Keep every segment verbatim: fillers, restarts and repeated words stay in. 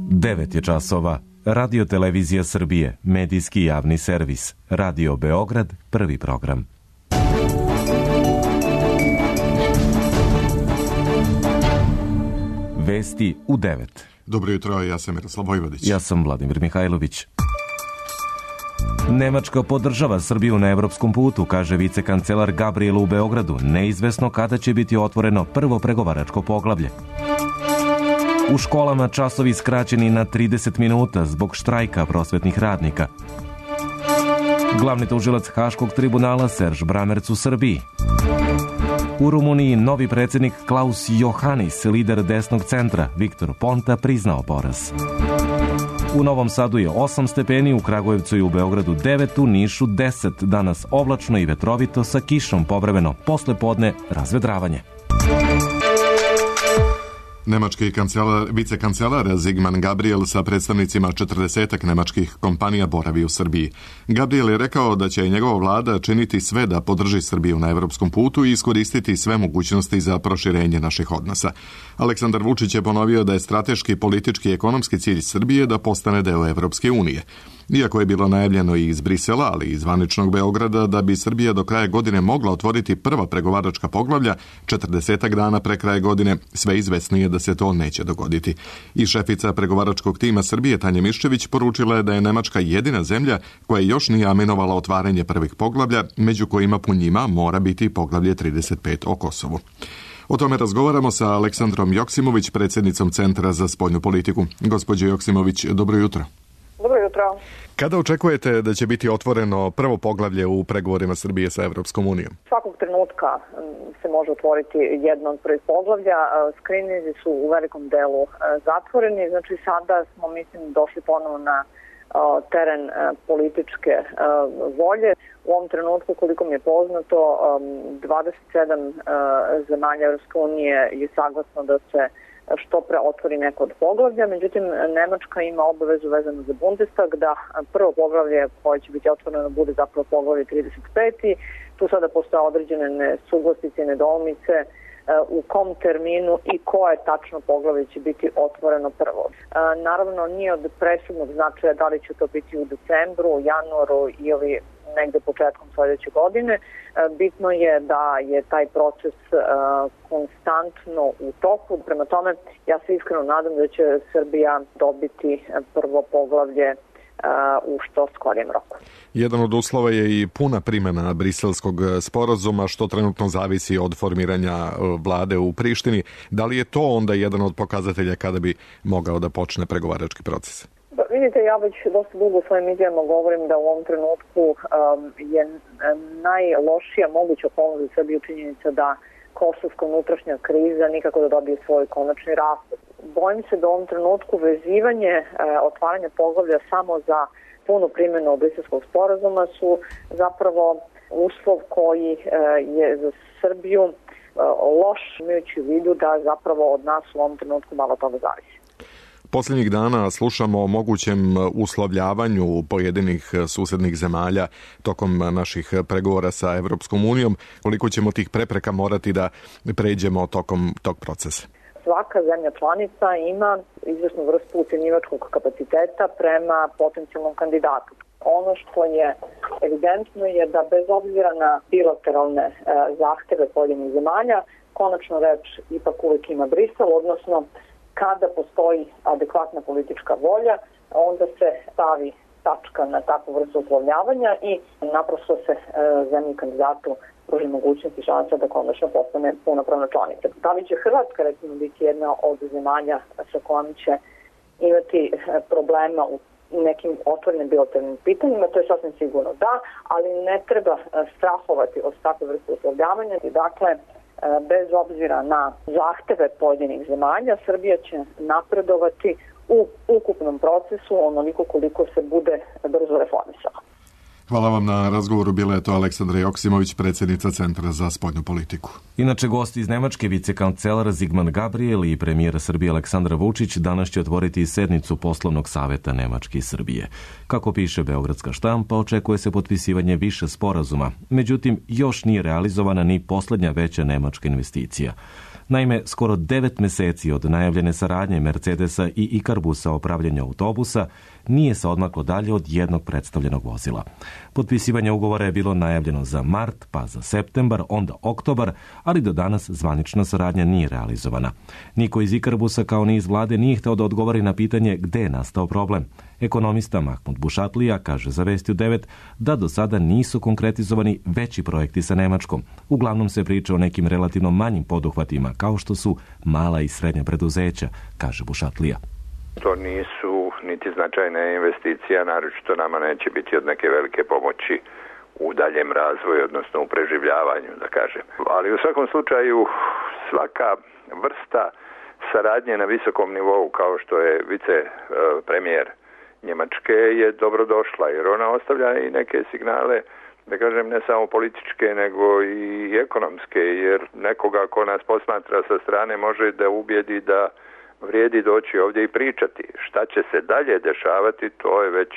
devet je časova. Radio Televizija Srbije, medijski javni servis. Radio Beograd, prvi program. Vesti u devet. Dobro jutro, ja sam Miroslav Vojvodić. Ja sam Vladimir Mihajlović. Nemačka podržava Srbiju na evropskom putu, kaže vicekancelar Gabriel u Beogradu. Neizvesno kada će biti otvoreno prvo pregovaračko poglavlje. U školama časovi skraćeni na trideset minuta zbog štrajka prosvetnih radnika. Glavni tužilac Haškog tribunala Serž Bramerc u Srbiji. U Rumuniji novi predsjednik Klaus Johannis, lider desnog centra, Viktor Ponta, priznao poraz. U Novom Sadu je osam stepeni, u Kragujevcu i u Beogradu devet, u Nišu deset. Danas oblačno i vetrovito sa kišom povremeno, posle podne razvedravanje. Nemački kancelar, vicekancelar Sigmar Gabriel sa predstavnicima četrdesetak nemačkih kompanija boravi u Srbiji. Gabriel je rekao da će njegova vlada činiti sve da podrži Srbiju na evropskom putu i iskoristiti sve mogućnosti za proširenje naših odnosa. Aleksandar Vučić je ponovio da je strateški, politički i ekonomski cilj Srbije da postane deo Evropske unije. Iako je bilo najavljeno i iz Brisela, ali i iz zvaničnog Beograda, da bi Srbija do kraja godine mogla otvoriti prva pregovaračka poglavlja, četrdesetak dana pre kraja godine, sve izvesnije da se to neće dogoditi. I šefica pregovaračkog tima Srbije, Tanja Miščević, poručila je da je Nemačka jedina zemlja koja još nije aminovala otvaranje prvih poglavlja, među kojima po njima mora biti poglavlje trideset pet o Kosovu. O tome razgovaramo sa Aleksandrom Joksimović, predsjednicom Centra za spoljnu politiku. Gospođo Joksimović, dobro jutro. Dobro jutro. Kada očekujete da će biti otvoreno prvo poglavlje u pregovorima Srbije sa Evropskom unijom? Svakog trenutka se može otvoriti jedno od prvih poglavlja. Skrininzi su u velikom delu zatvoreni. Znači sada smo, mislim, došli ponovo na teren političke volje. U ovom trenutku, koliko mi je poznato, dvadeset sedam zemalja Evropske unije je saglasno da se što pre otvori neko od poglavlja. Međutim, Nemačka ima obavezu vezanu za Bundestag da prvo poglavlje koje će biti otvoreno bude zapravo poglavlje trideset pet. Tu sada postoje određene nesuglasice i nedoumice u kom terminu i koje tačno poglavlje će biti otvoreno prvo. Naravno, nije od presudnog značaja da li će to biti u decembru, u januaru ili negde početkom sljedeće godine. Bitno je da je taj proces konstantno u toku. Prema tome, ja se iskreno nadam da će Srbija dobiti prvo poglavlje u što skorijem roku. Jedan od uslova je i puna primjena Briselskog sporazuma, što trenutno zavisi od formiranja vlade u Prištini. Da li je to onda jedan od pokazatelja kada bi mogao da počne pregovarački proces? Da, vidite, ja već dosta dugo u svojim izjavama govorim da u ovom trenutku um, je najlošija moguća okolnost za Srbiju činjenica da kosovska unutrašnja kriza nikako da dobije svoj konačni raspad. Bojim se da u ovom trenutku vezivanje e, otvaranja poglavlja samo za punu primjenu Briselskog sporazuma su zapravo uslov koji e, je za Srbiju e, loš, imajući u vidu da zapravo od nas u ovom trenutku malo toga zavisi. Posljednjih dana slušamo o mogućem uslovljavanju pojedinih susednih zemalja tokom naših pregovora sa Evropskom unijom. Koliko ćemo tih prepreka morati da pređemo tokom tog procesa? Svaka zemlja članica ima izvesnu vrstu ucenjivačkog kapaciteta prema potencijalnom kandidatu. Ono što je evidentno je da bez obzira na bilateralne e, zahteve pojedinih zemalja, konačno reč ipak uvijek ima Brisel, odnosno kada postoji adekvatna politička volja, onda se stavi tačka na takvu vrstu uslovljavanja i naprosto se e, zemlji kandidatu pruži mogućnost i šansa da konačno postane punopravna članica. Da li će Hrvatska recimo biti jedna od zemalja sa kojom će imati problema u nekim otvorenim bilateralnim pitanjima, to je sasvim sigurno da, ali ne treba strahovati od takve vrste uslovljavanja. Dakle, bez obzira na zahteve pojedinih zemalja, Srbija će napredovati u ukupnom procesu onoliko koliko se bude brzo reformisala. Hvala vam na razgovoru. Bila je to Aleksandra Joksimović, predsjednica Centra za spoljnu politiku. Inače, gosti iz Nemačke, vicekancelar Sigmund Gabriel i premijer Srbije Aleksandar Vučić danas će otvoriti sednicu poslovnog saveta Nemačke i Srbije. Kako piše beogradska štampa, očekuje se potpisivanje više sporazuma. Međutim, još nije realizovana ni posljednja veća nemačka investicija. Naime, skoro devet meseci od najavljene saradnje Mercedesa i Ikarbusa o pravljenju autobusa nije se odmaklo dalje od jednog predstavljenog vozila. Potpisivanje ugovora je bilo najavljeno za mart, pa za septembar, onda oktobar, ali do danas zvanična saradnja nije realizovana. Niko iz Ikarbusa kao ni iz vlade nije hteo da odgovori na pitanje gde je nastao problem. Ekonomista Mahmud Bušatlija kaže za Vesti u devet da do sada nisu konkretizovani veći projekti sa Nemačkom. Uglavnom se priča o nekim relativno manjim poduhvatima, kao što su mala i srednja preduzeća, kaže Bušatlija. To nisu niti značajne investicije, naročito nama neće biti od neke velike pomoći u daljem razvoju, odnosno u preživljavanju, da kažem. Ali u svakom slučaju svaka vrsta saradnje na visokom nivou, kao što je vice premijer Njemačke, je dobrodošla, jer ona ostavlja i neke signale, da kažem, ne samo političke, nego i ekonomske, jer nekoga ko nas posmatra sa strane može da ubijedi da vrijedi doći ovdje i pričati. Šta će se dalje dešavati, to je već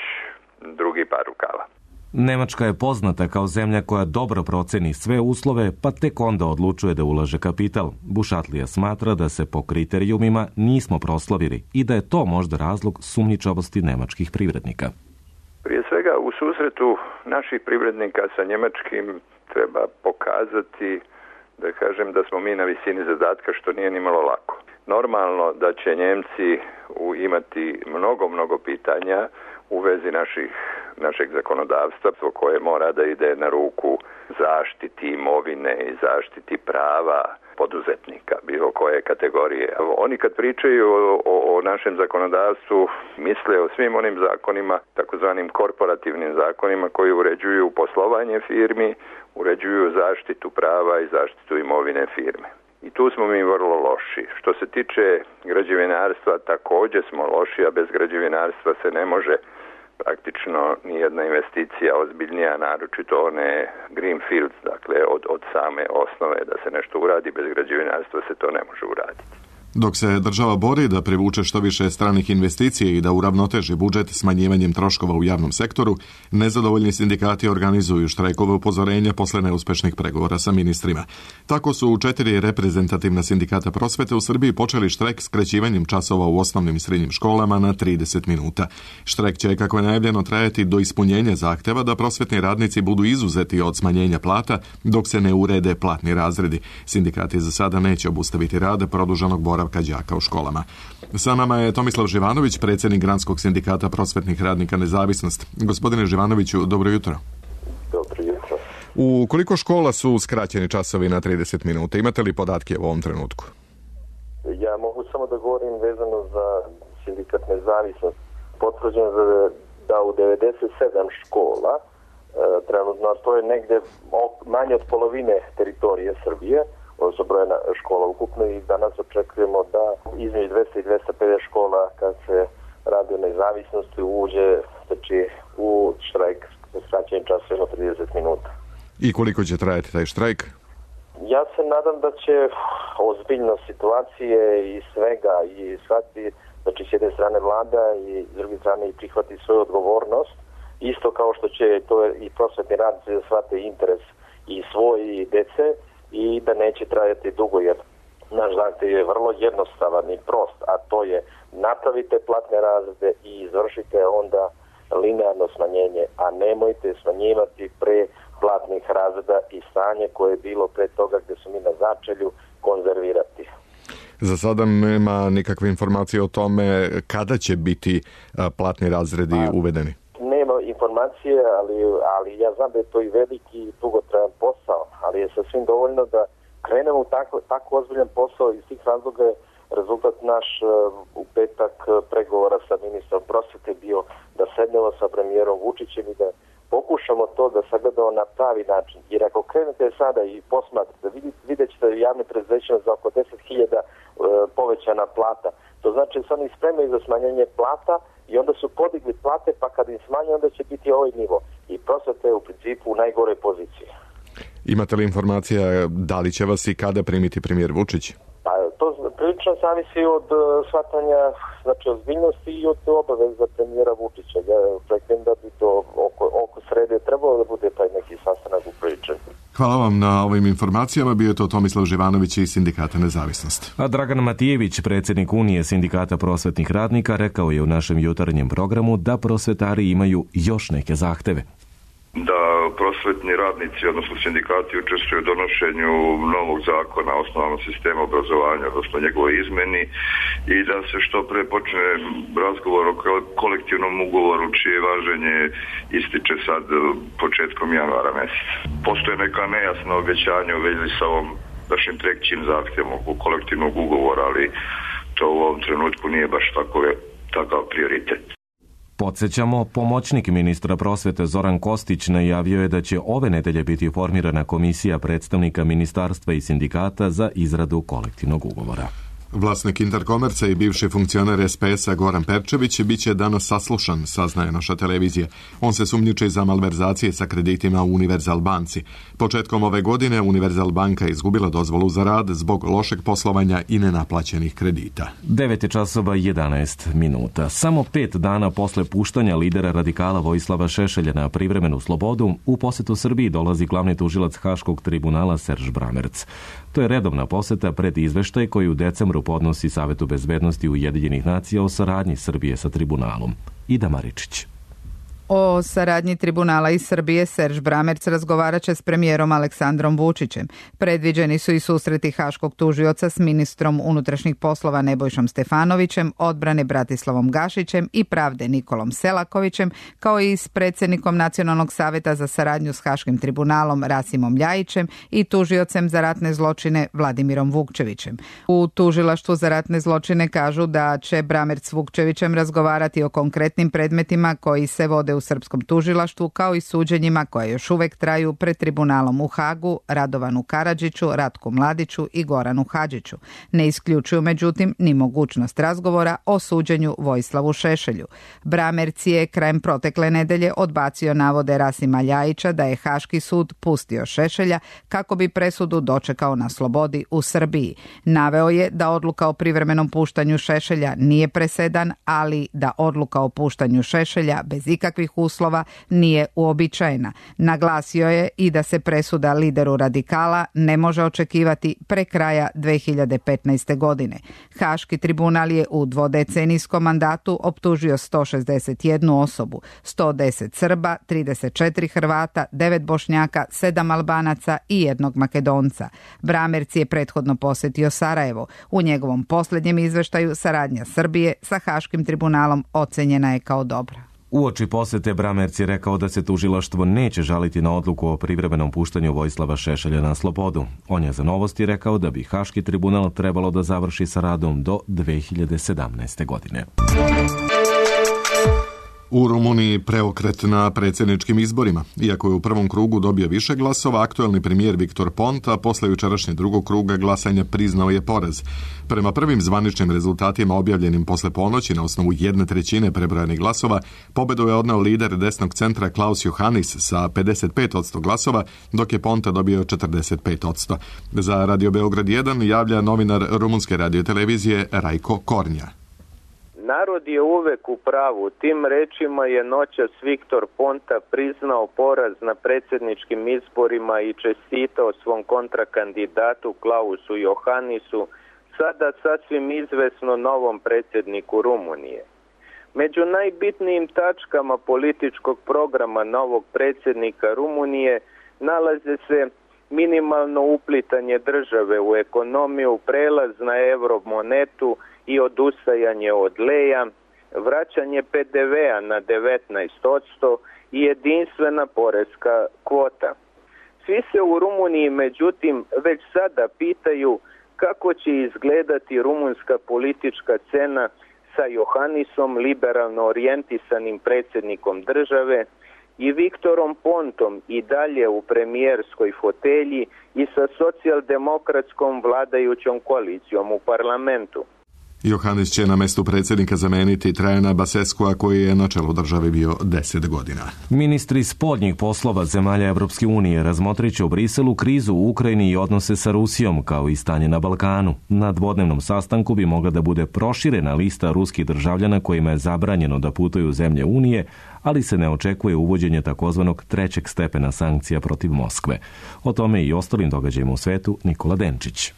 drugi par rukava. Nemačka je poznata kao zemlja koja dobro proceni sve uslove, pa tek onda odlučuje da ulaže kapital. Bušatlija smatra da se po kriterijumima nismo proslavili i da je to možda razlog sumnjičavosti nemačkih privrednika. Prije svega, u susretu naših privrednika sa njemačkim treba pokazati, da kažem, da smo mi na visini zadatka, što nije ni malo lako. Normalno da će Njemci imati mnogo, mnogo pitanja u vezi naših, našeg zakonodavstva, koje mora da ide na ruku zaštiti imovine i zaštiti prava poduzetnika, bilo koje kategorije. Oni kad pričaju o, o, o našem zakonodavstvu, misle o svim onim zakonima, takozvanim korporativnim zakonima koji uređuju poslovanje firmi, uređuju zaštitu prava i zaštitu imovine firme. I tu smo mi vrlo loši. Što se tiče građevinarstva, također smo loši, a bez građevinarstva se ne može praktično nijedna investicija ozbiljnija, naročito one greenfields, dakle od, od same osnove da se nešto uradi, bez građevinarstva se to ne može uraditi. Dok se država bori da privuče što više stranih investicija i da uravnoteži budžet smanjivanjem troškova u javnom sektoru, nezadovoljni sindikati organizuju štrajkove upozorenja posle neuspešnih pregovora sa ministrima. Tako su četiri reprezentativna sindikata prosvete u Srbiji počeli štrajk skraćivanjem časova u osnovnim i srednjim školama na trideset minuta. Štrajk će, kako je najavljeno, trajati do ispunjenja zahteva da prosvetni radnici budu izuzeti od smanjenja plata dok se ne urede platni razredi. Sindikati za sada neće obustaviti rad produženog boravka đaka u školama. Sa nama je Tomislav Živanović, predsjednik Granskog sindikata prosvetnih radnika Nezavisnost. Gospodine Živanoviću, dobro jutro. Dobro jutro. U koliko škola su skraćeni časovi na trideset minuta? Imate li podatke u ovom trenutku? Ja mogu samo da govorim vezano za sindikat Nezavisnost. Potvrđeno da u devedeset sedam škola, trenutno to je negde manje od polovine teritorije Srbije, odnosno brojena škola ukupno, i danas očekujemo da između dvesta i dvesta pedeset škola, kad se radi o nezavisnosti, uđe znači, u štrajk sa skraćenim časovima trideset minuta. I koliko će trajati taj štrajk? Ja se nadam da će ozbiljnost situacije i svega i shvatiti, znači s jedne strane vlada i s druge strane i prihvati svoju odgovornost, isto kao što će to i prosvetni radnici da shvate interes i svoj i dece, i da neće trajati dugo, jer naš zahtev je vrlo jednostavan i prost, a to je napravite platne razrede i izvršite onda linearno smanjenje, a nemojte smanjivati pre platnih razreda i stanje koje je bilo pre toga gdje su mi na začelju konzervirati. Za sada nema nikakve informacije o tome kada će biti platni razredi a, uvedeni. Nema informacije, ali, ali ja znam da je to i veliki i dugotrajan posao, ali je sasvim dovoljno da krenemo u tako, tako ozbiljan posao. Iz tih razloga je rezultat naš u petak pregovora sa ministrom prosvete bio da sednemo sa premijerom Vučićem i da pokušamo to da sagledamo na pravi način. Jer ako krenete sada i posmatrate, vidjet ćete da javne preduzećima za oko deset hiljada povećana plata. To znači da su oni spremni za smanjenje plata i onda su podigli plate, pa kad im smanje, onda će biti ovaj nivo. I prosvetni budete u principu u najgore poziciji. Imate li informacija da li će vas i kada primiti premijer Vučić? Pa, to prilično zavisi od shvatanja, znači ozbiljnosti i od obaveza premijera Vučića. Ja očekujem da bi to oko, oko srede trebalo da bude taj neki sastanak upriličen. Hvala vam na ovim informacijama. Bio je to Tomislav Živanović iz Sindikata Nezavisnost. A Dragan Matijević, predsjednik Unije Sindikata prosvetnih radnika, rekao je u našem jutarnjem programu da prosvetari imaju još neke zahteve. Da prosvetni radnici, odnosno sindikati, učestvuju u donošenju novog zakona o osnovnom sistemu obrazovanja, odnosno njegovoj izmeni, i da se što pre počne razgovor o kolektivnom ugovoru čije važenje ističe sad početkom januara mjeseca. Postoje neka nejasna obećanja u vezi sa ovom našim trećim zahtjevom oko kolektivnog ugovora, ali to u ovom trenutku nije baš takove, takav prioritet. Podsjećamo, pomoćnik ministra prosvete Zoran Kostić najavio je da će ove nedelje biti formirana komisija predstavnika ministarstva i sindikata za izradu kolektivnog ugovora. Vlasnik Interkomerca i bivši funkcioner es pe es-a Goran Perčević bit će danas saslušan, saznaje naša televizija. On se sumnjiči za malverzacije sa kreditima u Univerzal banci. Početkom ove godine Univerzal banka je izgubila dozvolu za rad zbog lošeg poslovanja i nenaplaćenih kredita. devet časova i jedanaest minuta. Samo pet dana posle puštanja lidera radikala Vojislava Šešelja na privremenu slobodu, u posjetu Srbiji dolazi glavni tužilac Haškog tribunala Serž Bramerc. To je redovna posjeta pred izveštaj koji u decembru podnosi Savetu bezbednosti Ujedinjenih nacija o saradnji Srbije sa tribunalom. Ida Maričić. O saradnji tribunala i Srbije Serž Bramerc razgovarat će s premijerom Aleksandrom Vučićem. Predviđeni su i susreti haškog tužioca s ministrom unutrašnjih poslova Nebojšom Stefanovićem, odbrane Bratislavom Gašićem i pravde Nikolom Selakovićem, kao i s predsjednikom Nacionalnog saveta za saradnju s Haškim tribunalom Rasimom Ljajićem i tužiocem za ratne zločine Vladimirom Vukčevićem. U tužilaštvu za ratne zločine kažu da će Bramerc s Vukčevićem razgovarati o konkretnim predmetima koji se vode u u srpskom tužilaštvu, kao i suđenjima koje još uvek traju pred tribunalom u Hagu, Radovanu Karadžiću, Ratku Mladiću i Goranu Hadžiću. Ne isključuju međutim ni mogućnost razgovora o suđenju Vojislavu Šešelju. Bramerc je krajem protekle nedelje odbacio navode Rasima Ljajića da je Haški sud pustio Šešelja kako bi presudu dočekao na slobodi u Srbiji. Naveo je da odluka o privremenom puštanju Šešelja nije presedan, ali da odluka o puštanju Šešelja bez ikakvih uslova nije uobičajena. Naglasio je i da se presuda lideru radikala ne može očekivati pre kraja dve hiljade petnaeste. godine. Haški tribunal je u dvodecenijskom mandatu optužio sto šezdeset jednu osobu, sto deset Srba, trideset četiri Hrvata, devet Bošnjaka, sedam Albanaca i jednog Makedonca. Bramerc je prethodno posjetio Sarajevo. U njegovom posljednjem izveštaju saradnja Srbije sa Haškim tribunalom ocenjena je kao dobra. Uoči posjete Bramerc je rekao da se tužilaštvo neće žaliti na odluku o privremenom puštanju Vojislava Šešelja na slobodu. On je za Novosti rekao da bi Haški tribunal trebalo da završi sa radom do dve hiljade sedamnaeste. godine. U Rumuniji preokret na predsjedničkim izborima. Iako je u prvom krugu dobio više glasova, aktuelni premijer Viktor Ponta posle jučerašnje drugog kruga glasanja priznao je poraz. Prema prvim zvaničnim rezultatima objavljenim posle ponoći na osnovu jedne trećine prebrojanih glasova, pobedu je odneo lider desnog centra Klaus Johannis sa pedeset pet posto glasova, dok je Ponta dobio četrdeset pet posto. Za Radio Beograd jedan javlja novinar rumunske radiotelevizije Rajko Kornja. Narod je uvek u pravu. Tim rečima je noćas Viktor Ponta priznao poraz na predsjedničkim izborima i čestitao svom kontrakandidatu Klausu Johannisu, sada sasvim izvesno novom predsjedniku Rumunije. Među najbitnijim tačkama političkog programa novog predsjednika Rumunije nalaze se minimalno uplitanje države u ekonomiju, prelaz na euromonetu i odustajanje od leja, vraćanje pe de vea na devetnaest posto i jedinstvena poreska kvota. Svi se u Rumuniji međutim već sada pitaju kako će izgledati rumunska politička scena sa Johannisom, liberalno orijentisanim predsjednikom države, i Viktorom Pontom i dalje u premijerskoj fotelji i sa socijaldemokratskom vladajućom koalicijom u parlamentu. Johannes će na mestu predsjednika zameniti Trajana Baseskua koji je na čelu države bio deset godina. Ministri spoljnih poslova zemalja Evropske unije razmotrit će u Briselu krizu u Ukrajini i odnose sa Rusijom kao i stanje na Balkanu. Na dvodnevnom sastanku bi mogla da bude proširena lista ruskih državljana kojima je zabranjeno da putuju u zemlje Unije, ali se ne očekuje uvođenje takozvanog trećeg stepena sankcija protiv Moskve. O tome i ostalim događajima u svetu Nikola Denčić.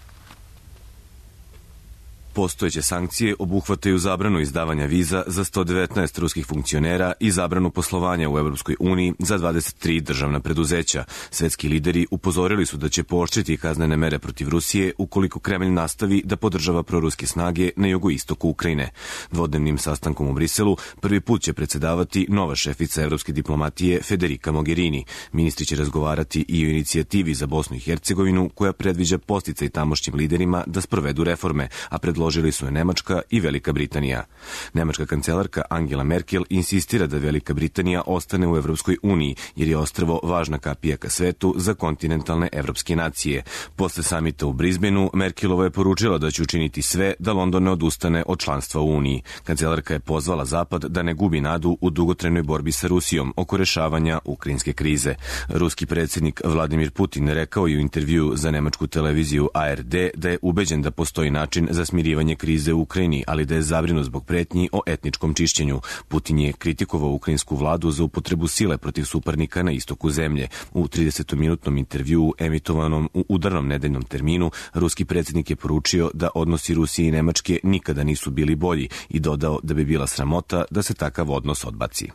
Postojeće sankcije obuhvataju zabranu izdavanja viza za sto devetnaest ruskih funkcionera i zabranu poslovanja u Evropskoj uniji za dvadeset tri državna preduzeća. Svetski lideri upozorili su da će pooštriti kaznene mere protiv Rusije ukoliko Kremlj nastavi da podržava proruske snage na jugoistoku Ukrajine. Dvodnevnim sastankom u Briselu prvi put će predsedavati nova šefica evropske diplomatije Federica Mogherini. Ministri će razgovarati i o inicijativi za Bosnu i Hercegovinu koja predviđa podsticaj tamošnjim liderima da sprovedu reforme, a predložili su je Nemačka i Velika Britanija. Nemačka kancelarka Angela Merkel insistira da Velika Britanija ostane u Evropskoj uniji, jer je ostrvo važna kapija ka svetu za kontinentalne evropske nacije. Posle samita u Brisbaneu, Merkelova je poručila da će učiniti sve da London ne odustane od članstva u Uniji. Kancelarka je pozvala Zapad da ne gubi nadu u dugotrajnoj borbi sa Rusijom oko rešavanja ukrajinske krize. Ruski predsjednik Vladimir Putin rekao je u intervjuu za nemačku televiziju A R D da je ubeđen da postoji način za smirivanje krize u Ukrajini, ali da je zabrinut zbog pretnji o etničkom čišćenju. Putin je kritikovao ukrajinsku vladu za upotrebu sile protiv suparnika na istoku zemlje. U tridesetminutnom intervjuu emitovanom u udarnom nedeljnom terminu, ruski predsjednik je poručio da odnosi Rusije i Nemačke nikada nisu bili bolji i dodao da bi bila sramota da se takav odnos odbaci.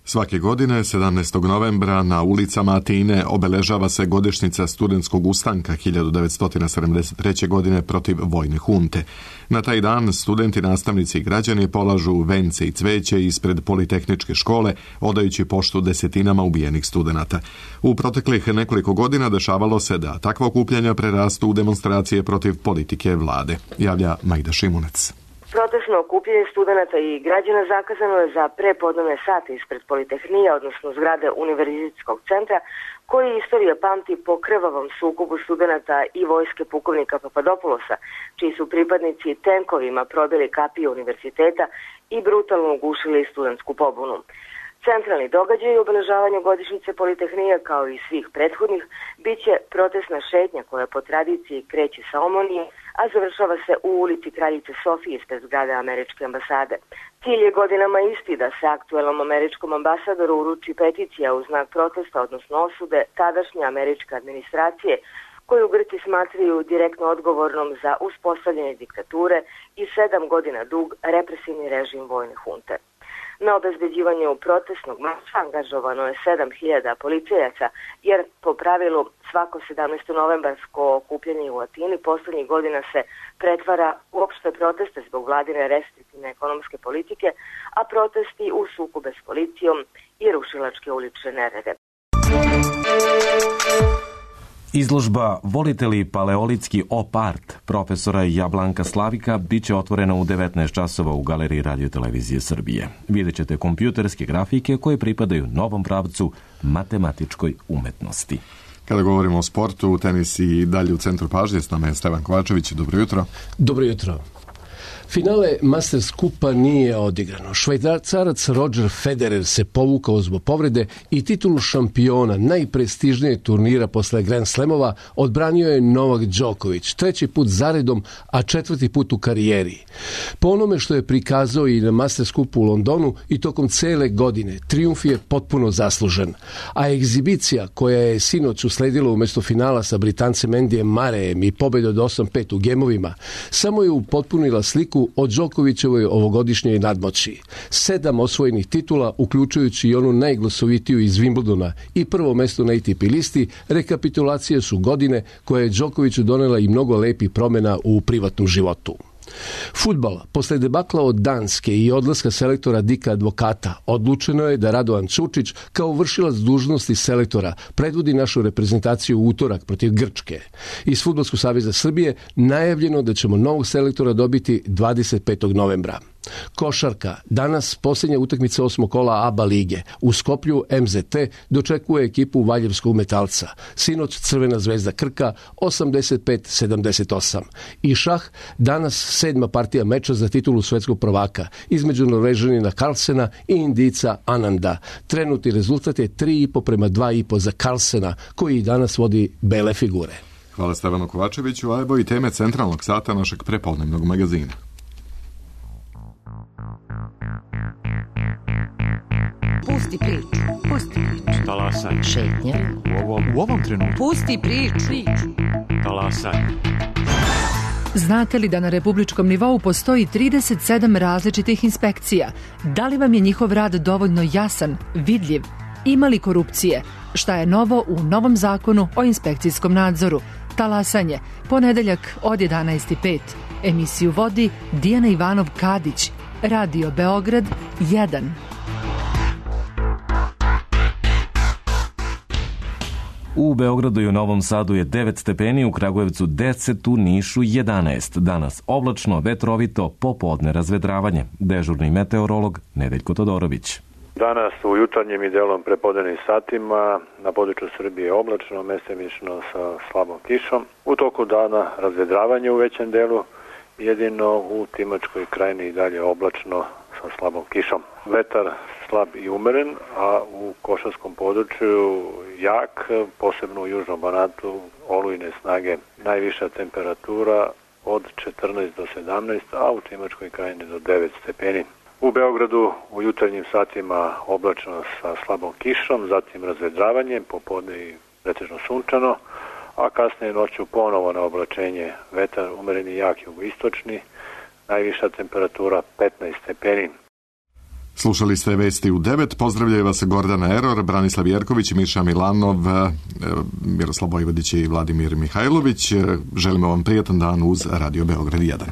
Svake godine, sedamnaestog novembra, na ulicama Atine obeležava se godišnjica studentskog ustanka hiljadu devetsto sedamdeset treće. godine protiv vojne hunte. Na taj dan studenti, nastavnici i građani polažu vence i cveće ispred Politehničke škole, odajući poštu desetinama ubijenih studenata. U proteklih nekoliko godina dešavalo se da takva okupljanja prerastu u demonstracije protiv politike vlade, javlja Majda Šimunec. Protestno okupljanje studenata i građana zakazano je za prepodnevne sate ispred Politehnije, odnosno zgrade Univerzitetskog centra, koji istorija pamti po krvavom sukobu studenata i vojske pukovnika Papadopoulosa, čiji su pripadnici tenkovima probili kapiju univerziteta i brutalno ugušili studentsku pobunu. Centralni događaj i obeležavanje godišnjice Politehnije, kao i svih prethodnih, bit će protestna šetnja koja po tradiciji kreće sa Omonije, a završava se u ulici Kraljice Sofije ispred zgrade američke ambasade. Cilj je godinama isti da se aktuelnom američkom ambasadoru uruči peticija u znak protesta, odnosno osude tadašnje američke administracije, koju Grci smatraju direktno odgovornom za uspostavljanje diktature i sedam godina dug represivni režim vojne hunte. Na obezbeđivanju protestnog marša angažovano je sedam hiljada policajaca, jer po pravilu svako sedamnaestonovembarsko okupljanje u Atini poslednjih godina se pretvara u opšte proteste zbog vladine restriktivne ekonomske politike, a protesti u sukobe s policijom i rušilačke ulične nerede. Izložba Volite li paleolitski op art profesora Jablanka Slavika bit će otvorena u devetnaest časova u Galeriji Radio-televizije Srbije. Vidjet ćete kompjuterske grafike koje pripadaju novom pravcu matematičkoj umetnosti. Kada govorimo o sportu, tenis i dalje u centru pažnje, s nama je Stevan Kovačević. Dobro jutro. Dobro jutro. Finale Masters kupa nije odigrano. Švajcarac Roger Federer se povukao zbog povrede i titulu šampiona najprestižnijeg turnira posle Grand Slamova odbranio je Novak Đoković, treći put zaredom, a četvrti put u karijeri. Po onome što je prikazao i na Masters kupu u Londonu i tokom cele godine, trijumf je potpuno zaslužen. A egzibicija koja je sinoć usledila umjesto finala sa Britancem Andyjem Murrayem i pobjedu od osam pet u gemovima, samo je upotpunila sliku o Đokovićevoj ovogodišnjoj nadmoći. Sedam osvojenih titula, uključujući i onu najglasovitiju iz Wimbledona i prvo mesto na A T P listi, rekapitulacije su godine koje je Đokoviću donela i mnogo lepih promjena u privatnom životu. Fudbal. Posle debakla od Danske i odlaska selektora Dika Advokata, odlučeno je da Radovan Čučić kao vršilac dužnosti selektora predvodi našu reprezentaciju u utorak protiv Grčke. Iz Fudbalskog saveza Srbije najavljeno da ćemo novog selektora dobiti dvadeset petog novembra. Košarka. Danas posljednja utakmica osmog kola A B A lige. U Skoplju M Z T dočekuje ekipu Valjevskog Metalca. Sinoć Crvena zvezda Krka osamdeset pet sedamdeset osam. I šah. Danas sedma partija meča za titulu svetskog prvaka između Norvežanina Carlsena i Indica Ananda. Trenutni rezultat je tri i po prema dva i po za Carlsena, koji danas vodi bele figure. Hvala Stevanu Kovačeviću, a evo i teme centralnog sata našeg prepodnevnog magazina. Pusti priču, pusti priču. Talasaj. Šetnje. U ovom, u ovom trenutku. Pusti priču. Talasaj. Znate li da na republičkom nivou postoji trideset sedam različitih inspekcija? Da li vam je njihov rad dovoljno jasan, vidljiv? Ima li korupcije? Šta je novo u novom zakonu o inspekcijskom nadzoru? Talasanje, ponedeljak od jedanaest i pet. Emisiju vodi Dijana Ivanov-Kadić. Radio Beograd jedan. U Beogradu i u Novom Sadu je devet stepeni, u Kragujevcu deset, u Nišu jedanaest. Danas oblačno, vetrovito, popodne razvedravanje. Dežurni meteorolog Nedeljko Todorović. Danas u jutarnjim i delom prepodnevnim satima na području Srbije oblačno, mestimično sa slabom kišom. U toku dana razvedravanje u većem delu, jedino u Timočkoj krajini i dalje oblačno sa slabom kišom. Vetar slab i umeren, a u Košarskom području jak, posebno u južnom Banatu, olujne snage. Najviša temperatura od četrnaest do sedamnaest, a u Timočkoj krajini do devet stepeni. U Beogradu u jutarnjim satima oblačno sa slabom kišom, zatim razvedravanje, popodne i pretežno sunčano, a kasnije noću ponovo na oblačenje, vetar umereni jak jugoistočni, najviša temperatura petnaest stepeni. Slušali ste vesti u devet. Pozdravljaju vas Gordana Eror, Branislav Jerković, Miša Milanov, Miroslav Vojvodić i Vladimir Mihajlović. Želimo vam prijatan dan uz Radio Beograd jedan.